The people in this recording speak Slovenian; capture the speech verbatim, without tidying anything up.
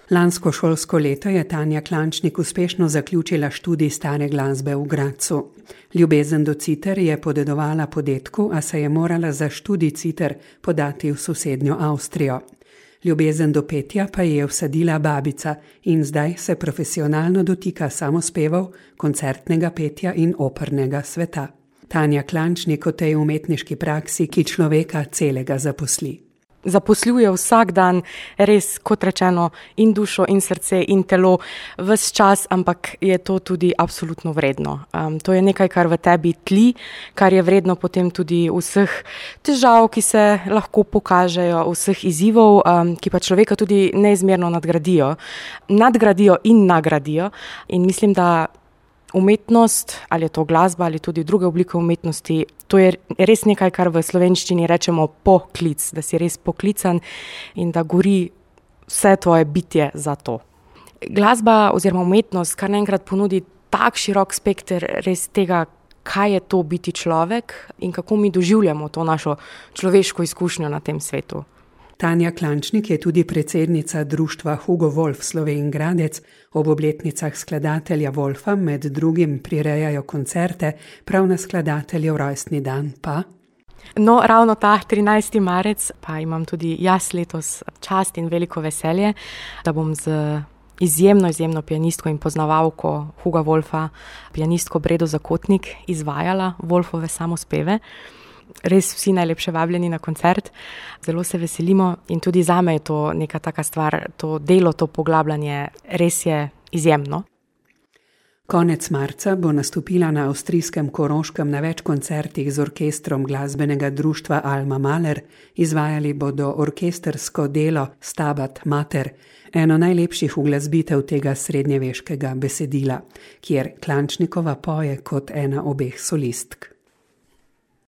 Lansko šolsko leto je Tanja Klančnik uspešno zaključila študij stare glasbe v Gradcu. Ljubezen do citer je podedovala po dedku, a se je morala za študij citer podati v sosednjo Avstrijo. Ljubezen do petja pa je vsadila babica in zdaj se profesionalno dotika samospevov, koncertnega petja in opernega sveta. Tanja Klančnik o tej umetniški praksi, ki človeka celega zaposli. Zaposluje vsak dan res, kot rečeno, in dušo, in srce, in telo, ves čas, ampak je to tudi absolutno vredno. Um, to je nekaj, kar v tebi tli, kar je vredno potem tudi vseh težav, ki se lahko pokažejo, vseh izzivov, um, ki pa človeka tudi neizmerno nadgradijo. Nadgradijo in nagradijo. In mislim, da umetnost, ali je to glasba, ali tudi druge oblike umetnosti, to je res nekaj, kar v slovenščini rečemo poklic, da si res poklican in da gori vse tvoje bitje za to. Glasba oziroma umetnost kar naenkrat ponudi tak širok spekter res tega, kaj je to biti človek in kako mi doživljamo to našo človeško izkušnjo na tem svetu. Tanja Klančnik je tudi predsednica društva Hugo Wolf Slovenj Gradec. Ob obletnicah skladatelja Wolfa med drugim prirejajo koncerte, prav na skladateljev rojstni dan pa. No, ravno ta trinajsti marec pa imam tudi jaz letos čast in veliko veselje, da bom z izjemno, izjemno pianistko in poznavalko Huga Wolfa, pianistko Bredo Zakotnik, izvajala Wolfove samospeve. Res vsi najlepše vabljeni na koncert, zelo se veselimo in tudi zame je to neka taka stvar, to delo, to poglabljanje res je izjemno. Konec marca bo nastopila na avstrijskem Koroškem na več koncertih z orkestrom glasbenega društva Alma Mahler. Izvajali bodo orkestrsko delo Stabat Mater, eno najlepših uglasbitev tega srednjeveškega besedila, kjer Klančnikova poje kot ena obeh solistk.